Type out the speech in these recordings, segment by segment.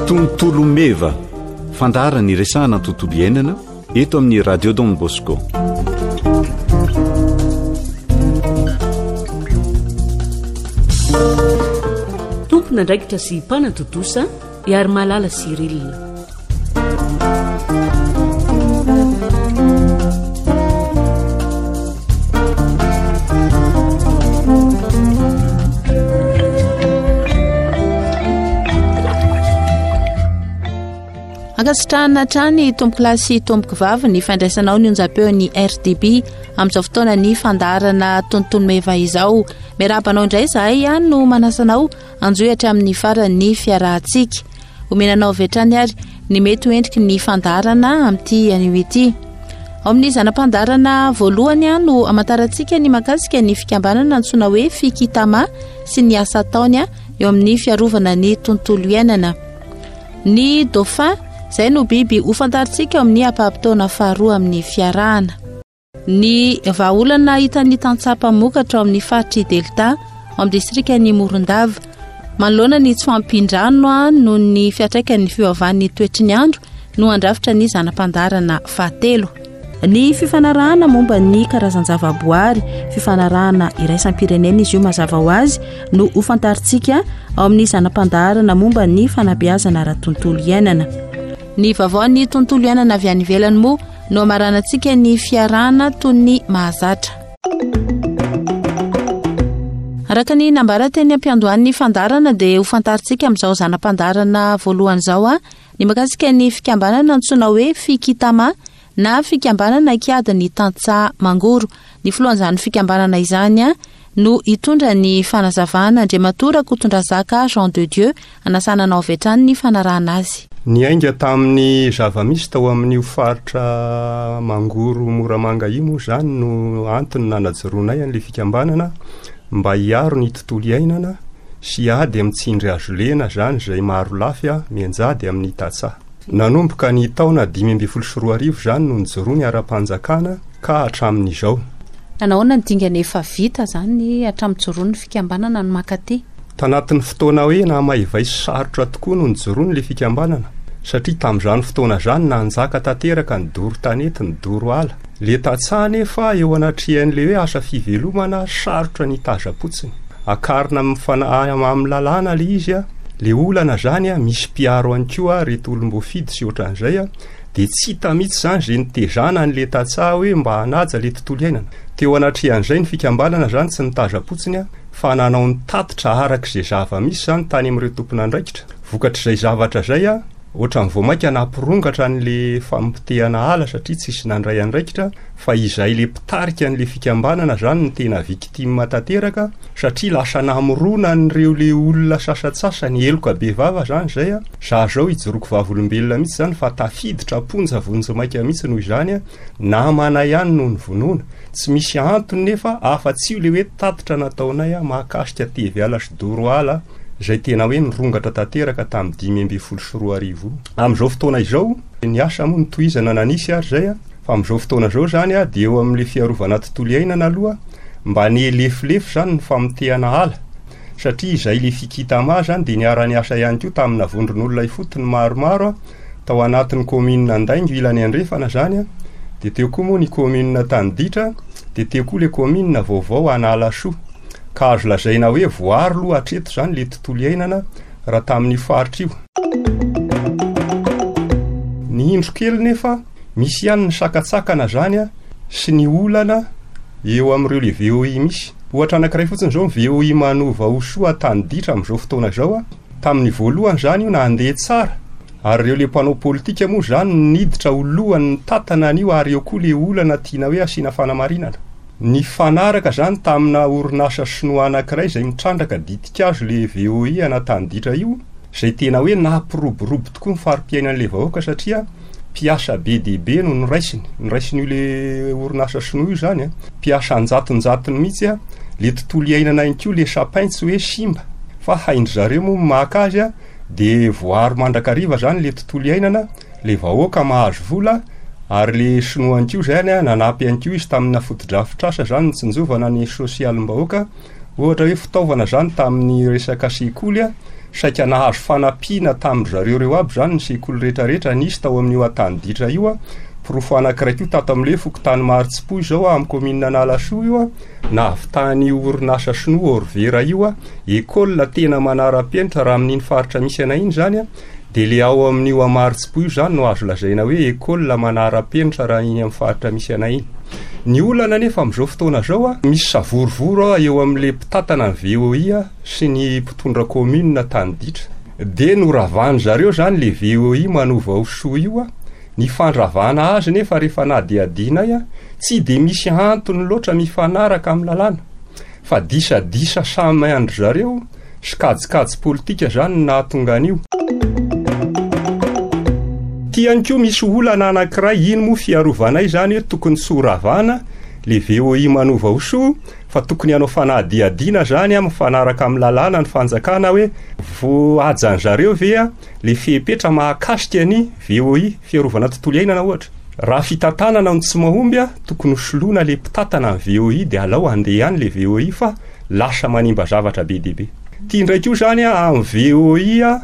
Tontolo meva, fandaharana iresahana ny tontolo iainana eto amin'ny Radio Don Bosco. Tompon'andraikitra sy mpanatontosa Iarimalala Cyril. Ankasitrahana hatrany tompokolahy sy tompokovavy ny fandraisanao ny onjam-peon'ny RDB amin'izao fotoana ny fandaharana tontolo meva izao. Miarahaba anao indray izahay no manasa anao Anjohy hatramin'ny faran'ny fiarahantsika. Omena anao avy hatrany ary ny mety ho endriky ny fandaharana amin'ity anio ity. Ao amin'ny zana-pandaharana voalohany no hamantarantsika ny mahakasika ny fikambanana antsoina hoe Fikitama sy ny asa ataony eo amin'ny fiarovana ny tontolo iainana. Ny dauphin, izay no biby hofantarintsika ao amin'ny ampaham-potoana faharoa amin'ny fiarahana. Ny vahaolana hitan'ny tantsaha mpamokatra ao amin'ny faritr'i Delta, ao amin'ny distrikan'i Morondava, manoloana ny tsy fahampian-drano noho ny fiantraikan'ny fiovaovan'ny toetry ny andro no handrafitra ny zana-pandaharana fahatelo. Ny fifanarahana momba ny karazan-javaboary, fifanarahana iraisam-pirenena izy io mazava ho azy, no hofantarintsika ao amin'ny zana-pandaharana momba ny fanabeazana ara-tontolo iainana. Ny vaovaon'ny tontolo iainana avy any ivelany moa no hamaranantsika ny fiarahana toy ny mahazatra. Araka ny nambara teny am-piandohan'ny fandaharana dia ho fantarintsika amin'izao zana-pandaharana voalohany izao ny mahakasika ny fikambanana antsoina hoe Fikitama na fikambanana kiady ny tantsaha mangoro. Ny filohan'izany fikambanana izany no hitondra ny fanazavana, Andriamatoa Rakotondrazaka Jean de Dieu, hanasana anao avy hatrany ny fanarahana azy. Niainga tamin'ny zava-misy tao amin'io faritra Mangoro Moramanga io moa izany no antony nanajoroanay an'ilay fikambanana mba hiaro ny tontolo iainana sy hiady amin'ny tsindry hazo lena izany izay marolafy mianjady amin'ny tantsaha. Nanomboka ny taona 2015 izany no nijoroany ara-panjakana ka hatramin'izao. Nahoana ny dingana efa vita izany hatramin'ny nijoroan'ny fikambanana no mankaty? Tanatin'ny fotoana hoe nahamaivay sy sarotra tokoa no nijoroany ilay fikambanana satria tamin'izany fotoana izany nanjaka tanteraka ny doro tanety, ny doro ala. Ilay tantsaha anefa eo anatrehan'ilay hoe asa fivelomana sarotra ny hitazam-potsiny. Akarina amin'ny amin'ny lalàna ilay izy, ilay olana izany misy mpiaro ihany koa ireto olom-boafidy sy ohatran'izay dia tsy hita mihitsy izany izay nitezana an'ilay tantsaha hoe mba hanaja ilay tontolo iainana. Teo anatrehan'izay ny fikambanana izany tsy nitazam-potsiny fa nanao ny tatitra araka izay zava-misy izany tany amin'ireo tompon'andraikitra. Vokatr'izay zavatra izay, ohatran'ny vao mainka nampirongatra an'ilay famotehana ala satria tsisy nandray andraikitra fa izahay ilay mpitarika an'ilay fikambanana izany no tena victime tanteraka satria lasa namorona an'ireo ilay olona sasantsasany heloka bevava izany izay, za zao ijoroako vavolombelona mihitsy izany fa tafiditra am-ponja vonjimaika mihitsy noho izany, namana ihany no novonoina. Tsy misy antony nefa afa-tsy io le hoe tatitra nataonay mahakasika tevy ala sy doro ala izay tena hoe nirongatra tanteraka tamin'ny 2015 io. Amin'izao fotoana izao, ny asa moa notohizana na nisy ary izay fa amin'izao fotoana izao izany dia eo amin'ilay fiarovana tontolo iainana aloha mba nihelefilefy izany ny famotehana ala satria izay le Fikitama izany dia niara-niasa ihany koa tamina vondron'olona ifotony maromaro tao anatin'ny commune Andaingo ilany andrefana izany dia teo koa moa ny commune Taniditra dia teo koa le commune vaovao Analasoa ka azo lazaina hoe voaro aloha hatreto izany le tontolo iainana raha tamin'io faritra io. Ny indro kely nefa misy ihany ny sakatsakana izany sy ny olana eo amin'ireo le VOI misy. Ohatra anankiray fotsiny izao ny VOI Manova Osoa Taniditra amin'izao fotoana izao. Tamin'ny voalohany izany io nandeha tsara ary ireo le mpanao politika moa izany no niditra ho lohany nitatana an'io ary eo koa le olana tiana hoe asiana fanamarinana. Nifanaraka izany tamina orinasa sinoa anankiray izay mitrandraka ditin-kazo le VOI an'Antaniditra io izay tena hoe nampiroborobo tokoa ny fari-piainan'le vahoaka satria mpiasa be dia be no noraisiny, noraisin'io le orinasa sinoa io izany an, mpiasa an-jatonjatony mihitsy an, le tontolo iainana ihany koa le sapin tsy hoe simba fa hain-dry zareo moa ny maka azy an, de voaaro mandrakariva zany le tontolo iainana, le vahoaka mahazo vola. Ary le sinoa ihany koa zany a, nanampy ihany koa izy tamina fotodrafitrasa zany nitsinjovana ny sosialim-bahoaka, ohatra hoe fitaovana zany tamin'ny resaka sekoly a, saika nahazo fanampiana tamin-dry zareo ireo aby zany ny sekoly rehetrarehetra nisy tao amin'io Antaniditra io a, porofo anankiray koa tato amin'le fokontany Marotsipoy izao a, amin'ny kaominina Analasoa io a, nahavitan'io orinasa sinoa Orvera io a, école tena manara-penitra raha amin'iny faritra misy anay iny zany a, Dia le ao amin'io Amarotsipo io izany no azo lazaina hoe école manara-penitra raha iny amin'ny faritra misy anay iny. Ny olana anefa amin'izao fotoana izao a, misy savorovoro eo amin'le mpitantana ny VOI sy ny mpitondra commune tany ditra. Dia noravan-dry zareo izany le VOI manova ho soa io a, ny fandravana azy nefa rehefa nadihadianay a, tsy dia misy antony loatra mifanaraka amin'ny lalàna. Fa disadisa samy an-dry zareo sy kajikajy politika zany no nahatonga an'io. Ty ihany koa misy olana anankiray, iny moa fiarovanay zany hoe tokony tsy ho ravana le VOI manova ho soa fa tokony hanao fanadihadiana zany mifanaraka amin'ny lalàna ny fanjakana hoe voahajan-zareo ve le fepetra mahakasika ny VOI, fiarovana tontolo iainana ohatra. Raha fitantanana no tsy mahomby a, tokony ho soloina le mpitantana ny VOI de alao handeha ihany le VOI fa lasa manimba zavatra be dia be. Ty indray koa zany a, amin'ny VOI a,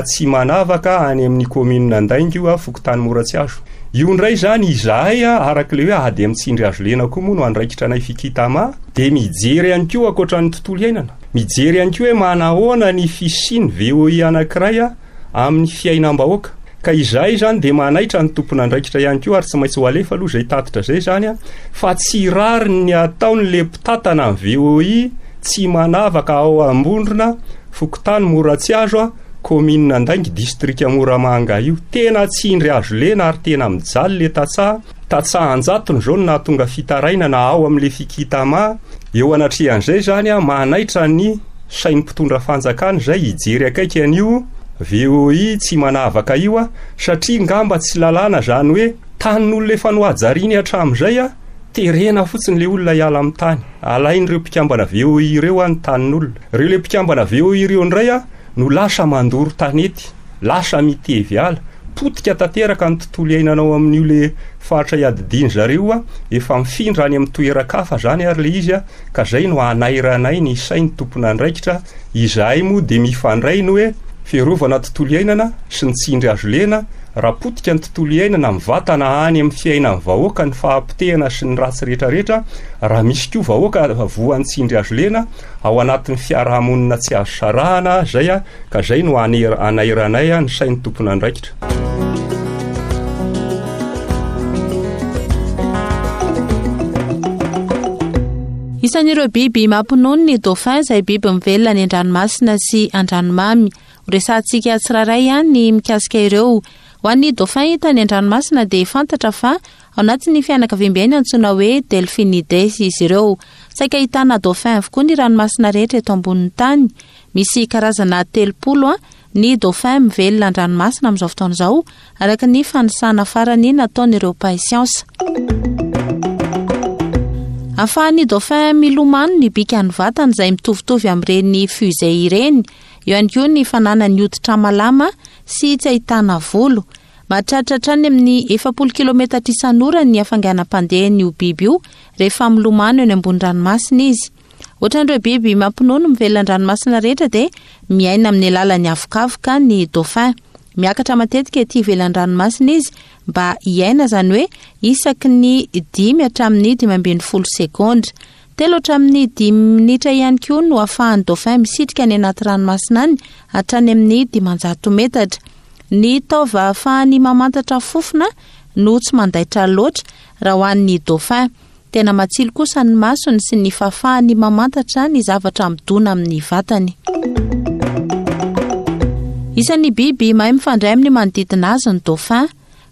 tsy manavaka any amin'ny commune Andaingo io a, fokontany Moratsiazo. Io indray zany izahay a, araka le hoe ady amin'ny tsindry hazo lena koa moa no andraikitra anay Fikitama, de mijery ihany koa ankoatran'ny tontolo iainana, mijery ihany koa hoe manahoana ny fisian'ny VOI anankiray a, amin'ny fiainam-bahoaka. Ka izahay izany dia manaitra ny tompon'andraikitra ihany koa ary tsy maintsy ho alefa aloha izay tatitra izay izany fa tsy rariny ny ataon'le mpitantana ny VOI tsy manavaka ao Ambondrona, fokontany Moratsiazo, kaominina Andaingy, distrika Moramanga io. Tena tsindry azo lena ary tena mijaly le tantsaha. Tantsaha an-jatony izao no nahatonga fitarainana ao amin'le Fikitama. Eo anatrehan'izay izany manaitra ny sain'ny mpitondra fanjakana izay hijery akaiky an'io VOI tsy manavaka io a, satria ngamba tsy lalàna zany hoe tanin'olona efa nohajariany hatramin'izay a, terena fotsiny le olona hiala amin'ny tany, alain'ireo mpikambana VOI ireo a ny tanin'olona, ireo le mpikambana VOI ireo indray a no lasa mandoro tanety, lasa mitevy ala, potika tanteraka ny tontolo iainana ao amin'io le faritra iadidian zareo a, efa mifindra any amin'ny toeran-kafa zany ary le izy a, ka zay no anairanay ny sainy tompon'andraikitra, izahay moa dia mifandray ny hoe fiarovana tontolo iainana sy ny tsindry azo lena, raha potika ny tontolo iainana mivatana any amin'ny fiainan'ny vahoaka ny fahapotehana sy ny ratsy rehetrarehetra, raha misy koa vahoaka voan'ny tsindry azo lena ao anatin'ny fiarahamonina tsy azo sarahana zay ka zay no anairanay ny sain'ny tompon'andraikitra. Isan'ireo biby mampinono ny dauphin izay biby mivelona any an-dranomasina sy an-dranomamy. Horesahantsika tsirairay ihany ny mikasika ireo. Ho an'ny dauphin hita any an-dranomasina dia fantatra fa ao anatin'ny fianakaviambe antsoina hoe Delphinidae izy ireo. Saika ahitana dauphin avokoa ny ranomasina rehetra eto ambonin'ny tany. Misy karazana 30 ny dauphin mivelona an-dranomasina amin'izao fotoana izao, araka ny fanisana farany nataon'ireo mpahay siansa. Ahafahan'ny dauphin milomano ny bikan'ny vatany izay mitovitovy amin'ireny fusée ireny. Eo ihany koa ny fananany hoditra malama sy tsy ahitana volo. Mahatratra hatrany amin'ny 40 kilometatra isan'ora ny hafainganam-pandehan'io biby io rehefa milomano eny ambony ranomasina izy. Ohatran'ireo biby mampinono mivelona an-dranomasina rehetra dia miaina amin'ny alalan'ny avokavoka ny dauphin. Miakatra matetika ety ivelan'ny ranomasina izy mba hiaina, izany hoe isaky ny dimy hatramin'ny 15 segondra. Telo hatramin'ny dimy minitra ihany koa no ahafahan'ny dauphin misitrika any anaty ranomasina any hatrany amin'ny 500 metatra. Ny taova ahafahany mamantatra fofona no tsy mandaitra loatra raha ho an'ny dauphin. Tena matsilo kosa ny masony sy ny fahafahany mamantatra ny zavatra midona amin'ny vatany. Isan'ny biby mahay mifandray amin'ny manodidina azy ny dauphin.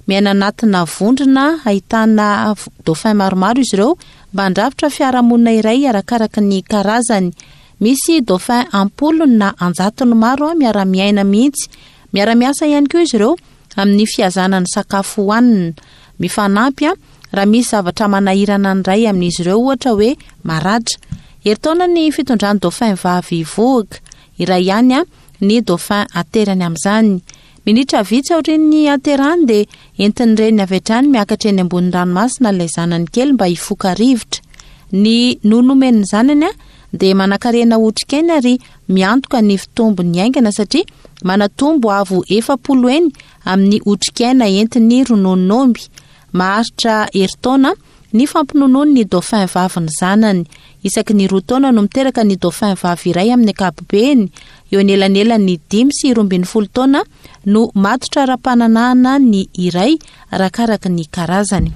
Miaina anatina vondrona ahitana dauphin maromaro izy ireo mba handrafitra fiarahamonina iray arakaraka ny karazany. Misy dauphin am-polony na an-jatony maro miara-miaina mihitsy. Miara-miasa ihany koa izy ireo amin'ny fihazana ny sakafo hohanina. Mifanampy raha misy zavatra manahirana ny iray amin'izy ireo, ohatra hoe maratra. Herintaona ny fitondran'ny dauphin vavy vohoka. Iray ihany ny dauphin aterany amin'izany. Minitra vitsy aorian'ny haterahany dia entin'ny reniny avy hatrany miakatra eny ambony ranomasina ilay zanany kely mba hifoka rivotra. Ny nono omen'ny zanany dia manankarena otrikaina ary miantoka ny fitombony haingana satria manatombo avo 40 heny amin'ny otrikaina entin'ny rononon'omby. Maharitra herintaona ny fampinonoany ny dauphin vavy ny zanany. Isaky ny roa taona no miteraka ny dauphin vavy iray amin'ny ankapobeny. Eo anelanelan'ny dimy sy 12 taona no matotra ara-pananahana ny iray arakaraka ny karazany.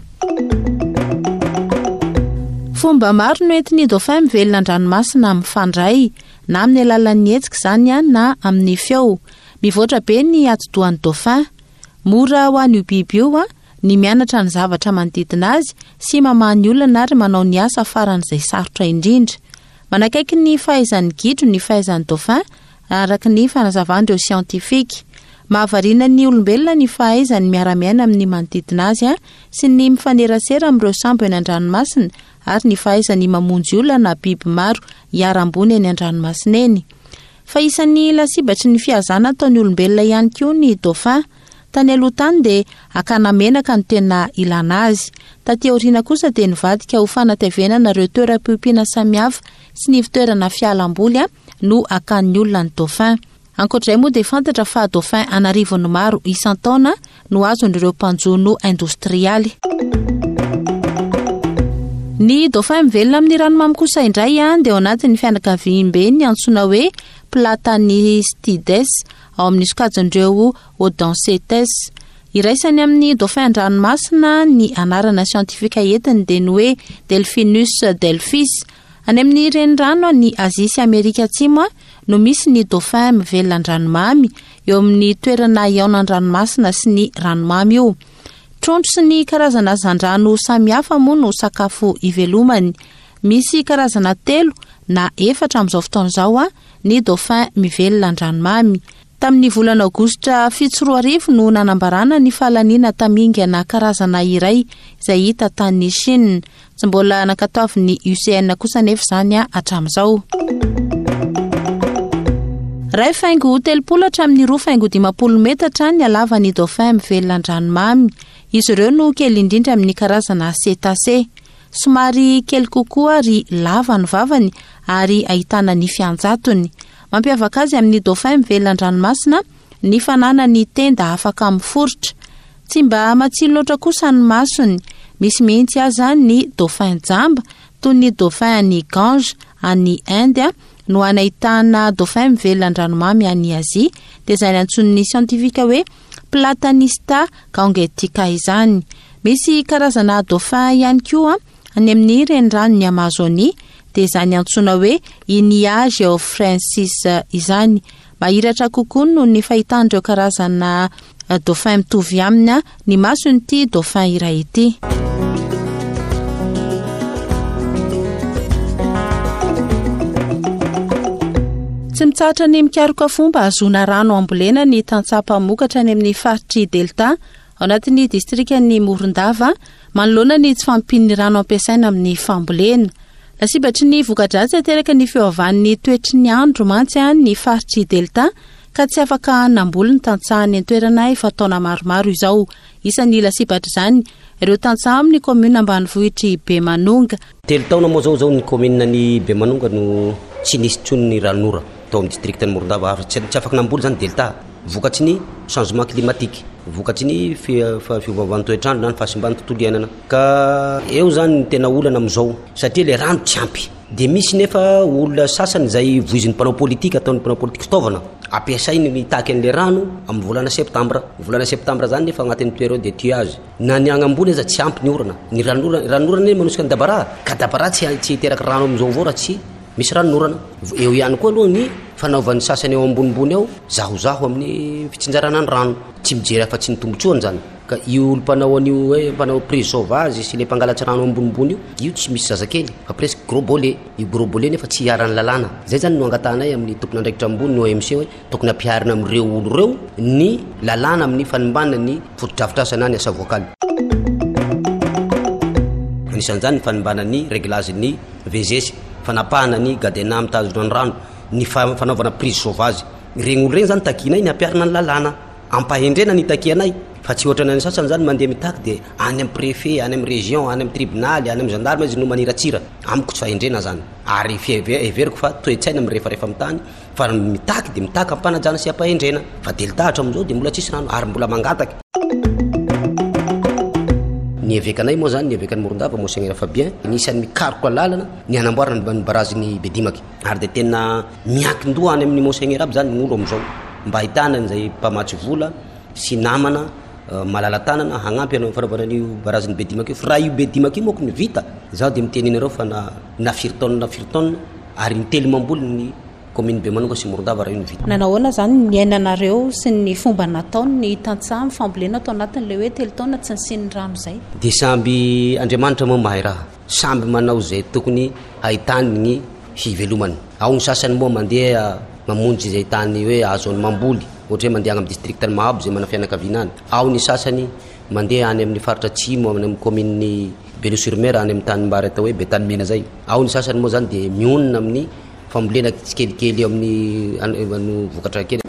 Fomba maro no entin'ny dauphin mivelona an-dranomasina mifandray, na amin'ny alalan'ny hetsika izany na amin'ny feo. Mivoatra be ny atidohan'ny dauphin. Mora ho an'io biby io ny mianatra ny zavatra manodidina azy sy mamaha ny olana ary manao ny asa faran'izay sarotra indrindra. Manakaiky ny fahaizan'ny gidro ny fahaizan'ny dauphin, araka ny fanazavan'ireo siantifika. Mahavariana ny olombelona ny fahaizany miara-miaina amin'ny manodidina azy sy ny mifanerasera amin'ireo sambo eny an-dranomasina ary ny fahaizany mamonjy olona na biby maro hiharam-boina eny an-dranomasina eny. Fa isan'ny lasibatry ny fihazana ataon'ny olombelona ihany koa ny dauphin. Tany aloha tany dia hakana menaka no tena ilana azy. Taty aoriana kosa dia nivadika ho fanatavenana ireo toeram-piompiana samihafa sy ny ivon-toerana fialam-boly no hakan'ny olona ny dauphin. Ankoatra izay moa dia fantatra fa dauphin an'arivony maro isan-taona no azon'ireo mpanjono indostrialy. Ny dauphin mivelona amin'ny ranomamy kosa indray dia ao anatin'ny fianakaviambe ny antsoina hoe Platanistides ao amin'ny sokajin'ireo Odoncetes. Iraisany amin'ny dauphin an-dranomasina ny anarana siantifika entiny dia ny hoe Delphinus delphis. Any amin'ny renirano any Azia sy Amerika Atsimo no misy ny dauphin mivelona an-dranomamy, eo amin'ny toerana ihaonan-dranomasina sy ny ranomamy io. Trondro sy ny karazana hazandrano samihafa moa no sakafo ivelomany. Misy karazana telo na efatra amin'izao fotoana izao ny dauphin mivelona an-dranomamy. Tamin'ny volana aogositra 2007 no nanambarana ny fahalaniana tamingana karazana iray izay hita tany Chine. Tsy mbola nankatoavin'ny UCN kosa anefa izany hatramin'izao. Iray faingo telopolo hatramin'ny roa faingo dimampolo metatra ny halavan'ny dauphin mivelona an-dranomamy. Izy ireo no kely indrindra amin'ny karazana cétacé. Somary kely kokoa ary lava ny vavany ary ahitana nify an-jatony. Mampiavaka azy amin'ny dauphin mivelona an-dranomasina ny fananany tenda afaka miforitra. Tsy mba matsilo loatra kosa ny masony. Misy mihitsy aza ny dauphin jamba, toy ny dauphin any Gange any Inde no any ahitana dauphin mivelona an-dranomamy any Azia, dia izany antsoin'ny siantifika hoe Platanista gangetica izany. Misy karazana dauphin ihany koa any amin'ny reniranon'i Amazonia, dia izany antsoina hoe Inia geoffrensis izany. Mahiratra kokoa noho ny fahitan'ireo karazana dauphin mitovy aminy ny mason'ity dauphin iray ity. Tsy mitsahatra ny mikaroka fomba hahazoana rano hambolena ny tantsaha mpamokatra any amin'ny faritr'i Delta, ao anatin'ny distrikan'i Morondava, manoloana ny tsy fahampian'ny rano ampiasaina amin'ny fambolena. Lasibatry ny voka-dratsy ateraky ny fiovan'ny toetry ny andro mantsy ny faritr'i Delta ka tsy afaka namboly ny tantsaha any an-toerana efa taona maromaro izao. Isan'ny lasibatr'izany ireo tantsaha amin'ny kaominina ambanivohitr'i Bemanonga. Telo taona moa izao izao ny kaominina ny Bemanonga no tsy nisy intsony ny ranon'ora tao amin'ny distrikan'i Morondava. Tsy afaka namboly izany Delta vokatry ny changement climatique, vokatry ny fiovaovan'ny toetr'andro na ny fahasimban'ny tontolo iainana. Ka eo izany ny tena olana amin'izao satria ilay rano tsy ampy. Dia misy nefa olona sasany izay voizin'ny mpanao politika, ataon'ny mpanao politika fitaovana, ampiasainy mitaky an'ilay rano amin'ny volana septambra. Volana septambra izany nefa agnatin'ny période d'étiage. Na ny agny ambony aza tsy ampy ny orana. Ny ranonorana, ranonorana anie manosika ny dabaraha, ka dabaraha tsy tsy hiteraka rano amin'izao avao raha tsy misy ranonorana. Eo ihany koa aloha ny fanaovan'ny sasany ao ambonimbony ao zahozaho amin'ny fitsinjarana ny rano. Tsy mijery afa-tsy ny tombontsoany izany. Ka io olo mpanao an'io hoe mpanao prise sauvage sy le mpangalatsy rano ambonimbony io, io tsy misy zazakely fa presque gros bolet. Io gros bolet nefa tsy iharan'ny lalàna. Zay zany no angatahanay amin'ny tompon'andraikitra ambony ny OMC hoe tokony ampiharina amin'ireo olo ireo ny lalàna amin'ny fanimbana ny fotodrafitrasa na ny asa voakaly. Anisan'izany ny fanimbana ny réglage ny VGS, fanapahana ny gadena mitazona ny rano, ny fanaovana prise sauvage. Ireny olo ireny zany takianay ny hampiharina ny lalàna. Ampahendrena ny itakianay fa tsy ohatran'ny an'ny sasany zany mandeha mitaky dia any amin'ny préfet, any amin'ny région, any amin'ny tribonaly, any amin'ny gendarme izy no maniratsira. Amiko tsy fahendrena zany ary heveriko fa toe-tsaina mirefarefa amin'ny tany fa ny mitaky dia mitaky am-panajana sy am-pahendrena fa delta hatramin'izao dia mbola tsisy rano ary mbola mangataka. Ny evekanay moa zany, ny evekan'i Morondava, Monseigneur Fabien, anisan'ny mikaroka lalana ny hanamboarana ny barazin'i Bedimaky ary dia tena miankin-doha any amin'ny Monseigneur aby zany ny olo amin'izao mba ahitana an'izay mpamatsy vola sy namana malala-tanana hagnampy anao fanaovana an'io barazin'i Bedimaky io. Fa raha io Bedimaky io manko no vita, zaho dia miteny anareo fa na na firy taonina na firy taonina ary intelo mamboly ny commune Bemanonga sy Morondava raha io no vita. Nanao ahoana izany ny niainanareo sy ny fomba nataony ny tantsaha amin'ny fambolena tao anatin'ilay hoe telo taona tsy nisian'ny rano izay? Dia samby Andriamanitra moa mahay raha. Samby manao izay tokony hahitany ny hivelomany. Ao ny sasany moa mandeha mamonjy izay tany hoe ahazoany mamboly, ohatra hoe mandeha any amin'ny district-n'i Mahabo izay manana fianakaviana any. Ao ny sasany mandeha any amin'ny faritra atsimo any amin'ny commune-n'i Belo sur Mer any amin'ny tanimbary atao hoe Betanimena izay. Ao ny sasany moa izany dia mionona amin'ny fambolena tsikelikely eo amin'ny vokatra kely.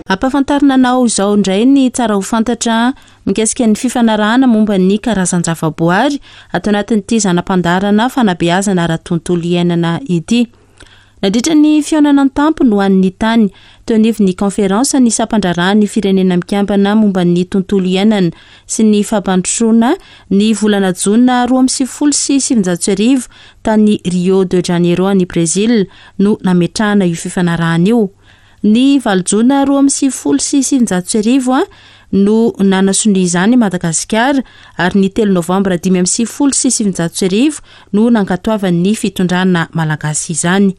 Ampahafantarina anao izao indray ny tsara ho fantatra mikasika ny fifanarahana momba ny karazan-javaboary ato anatin'ity zana-pandaharana fanabeazana ara-tontolo iainana ity. Nandritra ny fihaonana an-tampony ho an'ny tany, teo anivon'ny kaonferansa ny sampandraharahan'ny Firenena Mikambana momba ny tontolo iainana sy ny fampandrosoana ny volana jona 1992 tany Rio de Janeiro any Brezila no nametrahana io fifanarahana io. Ny valo jona 1992 no nanasonia izany i Madagasikara ary ny telo novambra 1995 no nankatoavan'ny fitondrana malagasy izany.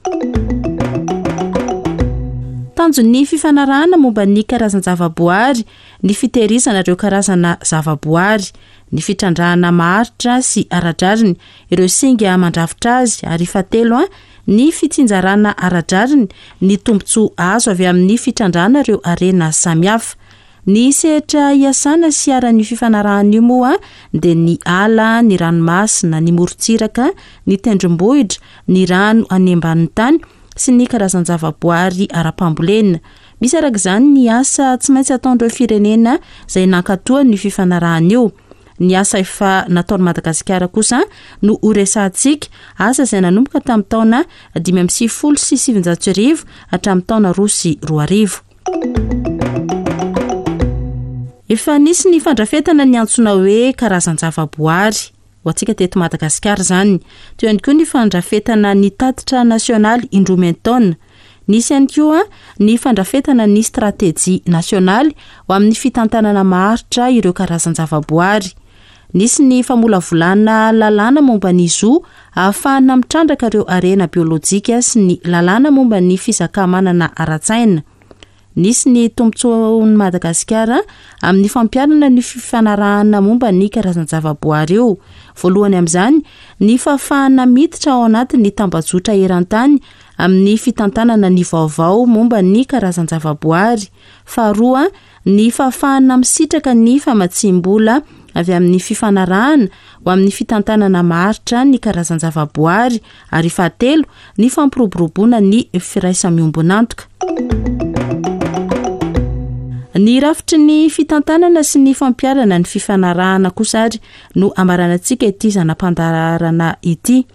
Tanjon'ny fifanarahana momba ny karazan-javaboary ny fitehirizana ireo karazana zavaboary, ny fitrandrahana maharitra sy ara-drariny ireo singa mandrafitra azy ary fahatelo ny fitsinjarana ara-drariny ny tombontsoa azo avy amin'ny fitrandrahana ireo harena samihafa. Ny sehatra iasana sy iharan'io fifanarahana io moa dia ny ala, ny ranomasina, ny morontsiraka, ny tendrombohitra, ny rano any ambanin'ny tany sy ny karazan-javaboary ara-pambolena. Misy araka izany ny asa tsy maintsy ataon'ireo firenena izay nankatoa an'io fifanarahana io. Ny asa efa nataon'i Madagasikara kosa no horesahantsika, asa izay nanomboka tamin'ny taona 1995 hatramin'ny taona 2002. Efa nisy ny fandrafetana ny antsoina hoe karazan-javaboary ho antsika teto Madagasikara izany. Teo ihany koa ny fandrafetana ny tatitra nasionaly indroa miantaona. Nisy ihany koa ny fandrafetana ny stratejia nasionaly ho amin'ny fitantanana maharitra ireo karazan-javaboary. Nisy ny famolavolana lalàna momba ny zo ahafahana mitrandraka ireo harena biolojika sy ny lalàna momba ny fizaka-manana ara-tsaina. Nisy ny tombontsoan'i Madagasikara amin'ny fampiharana ny fifanarahana momba ny karazan-javaboary io. Voalohany amin'izany, ny fahafahana miditra ao anatin'ny tambajotra eran-tany amin'ny fitantanana ny vaovao momba ny karazan-javaboary. Faharoa, ny fahafahana misitraka ny famatsiam-bola avy amin'ny fifanarahana ho amin'ny fitantanana maharitra ny karazan-javaboary ary fahatelo, ny fampiroboroboana ny firaisa-miombon'antoka. Ny rafitry ny fitantanana sy ny fampiharana ny fifanarahana kosa ary no amaranantsika ity zana-pandaharana ity.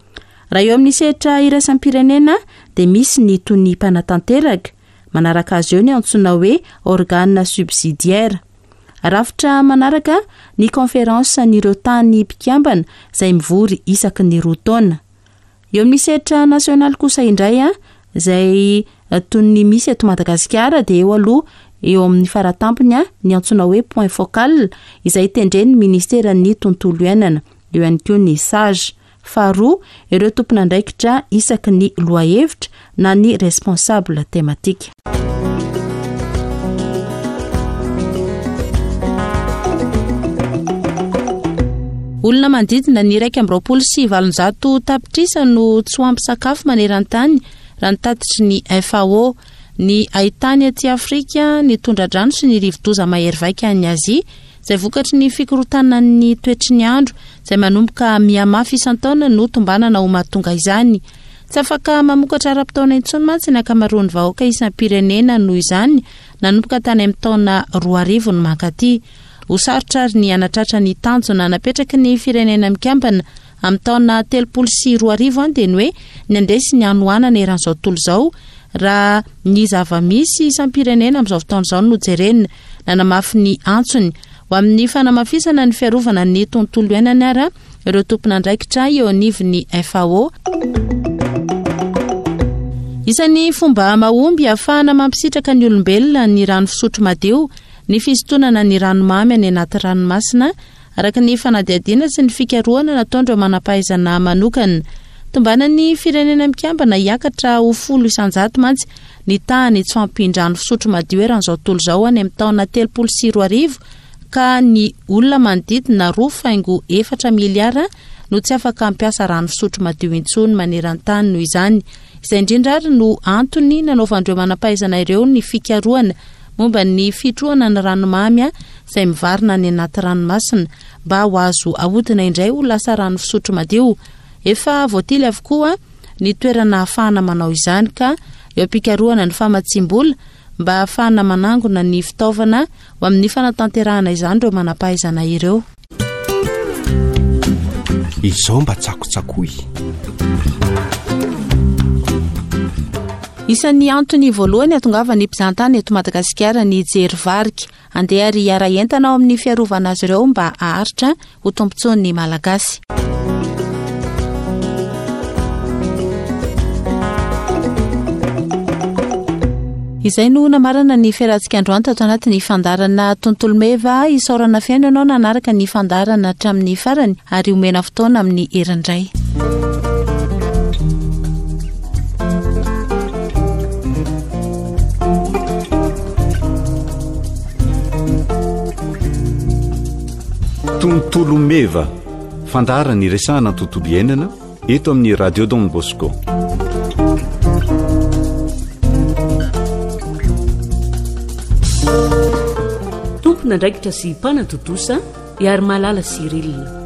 Raha eo amin'ny sehatra iraisam-pirenena dia misy ny tonia mpanatanteraka, manaraka azy eo ny antsoina hoe organe subsidiaire. Rafitra manaraka ny conférence an'ireo tany mpikambana izay mivory isaky ny roa taona. Eo amin'ny sehatra nasionaly kosa indray izay toy ny misy eto Madagasikara dia eo aloha eo amin'ny faratampony ny antsoina hoe point focal izay tendren'ny ministeran'ny tontolo iainana, eo ihany koa ny sage. Faharoa, ireo tompon'andraikitra isaky ny lohahevitra na ny responsable thématique. Olona manodidina ny 821 tapitrisa no tsy ho ampy sakafo maneran-tany raha ny tatitry ny FAO. Ny haitany aty Afrika, ny tondra-drano sy ny rivodoza mahery vaika any Azia izay vokatry ny fikorontanan'ny toetry ny andro izay manomboka mihamafy isan-taona no tombanana ho mahatonga izany. Tsy afaka mamokatra ara-potoana intsony mantsy ny ankamaroan'ny vahoaka isam-pirenena noho izany nanomboka tany amin'ny taona 2000 no mankaty. Ho sarotra ary ny hanatratra ny tanjona napetraky ny Firenena Mikambana amin'ny taona 2030 dia ny hoe ny handresy ny hanoanana eran'izao tontolo izao raha ny zava-misy isam-pirenena amin'izao fotoana izao no jerena. Nanamafy ny antsony ho amin'ny fanamafisana ny fiarovana ny tontolo iainana ary ireo tompon'andraikitra eo anivon'ny FAO. Isan'ny fomba mahomby ahafahana mampisitraka ny olombelona ny rano fisotro madio ny fisintonana ny ranomamy any anaty ranomasina, araka ny fanadihadiana sy ny fikarohana nataon'ireo manam-pahaizana manokana. Tombanan'ny Firenena Mikambana hiakatra ho 10% mantsy ny tahan'ny tsy fahampian-drano fisotro madio eran'izao tontolo izao any amin'ny taona 2030 ka ny olona manodidina roa faingo efatra miliara no tsy afaka hampiasa rano fisotro madio intsony maneran-tany noho izany. Izay indrindra ary no antony nanaovan'ireo manam-pahaizana ireo ny fikarohana momba ny fitrohana ny ranomamy izay mivarina any anaty ranomasina mba ho azo ahodina indray ho lasa rano fisotro madio. Efa voatily avokoa ny toerana ahafahana manao izany ka eo am-pikarohana ny famatsiam-bola mba ahafahana manangona ny fitaovana ho amin'ny fanatanterahana izany ireo manam-pahaizana ireo. Izao mba tsakotsakoy. Isan'ny antony voalohany hatongavan'ny mpizahantany eto Madagasikara ny hijery varika. Andeha ary hiara-hientana ao amin'ny fiarovana azy ireo mba haharitra ho tombontsoan'ny Malagasy. Izay no namarana ny fiarahantsika androany tato anatin'ny fandaharana Tontolo Meva. Isaorana feno ianao nanaraka ny fandaharana hatramin'ny farany ary omena fotoana amin'ny herindray. Tontolo Meva, fandaharana iresahana ny tontolo iainana eto amin'ny Radio Don Bosco. Tompon'andraikitra sy mpanatontosa Iarimalala Cyril.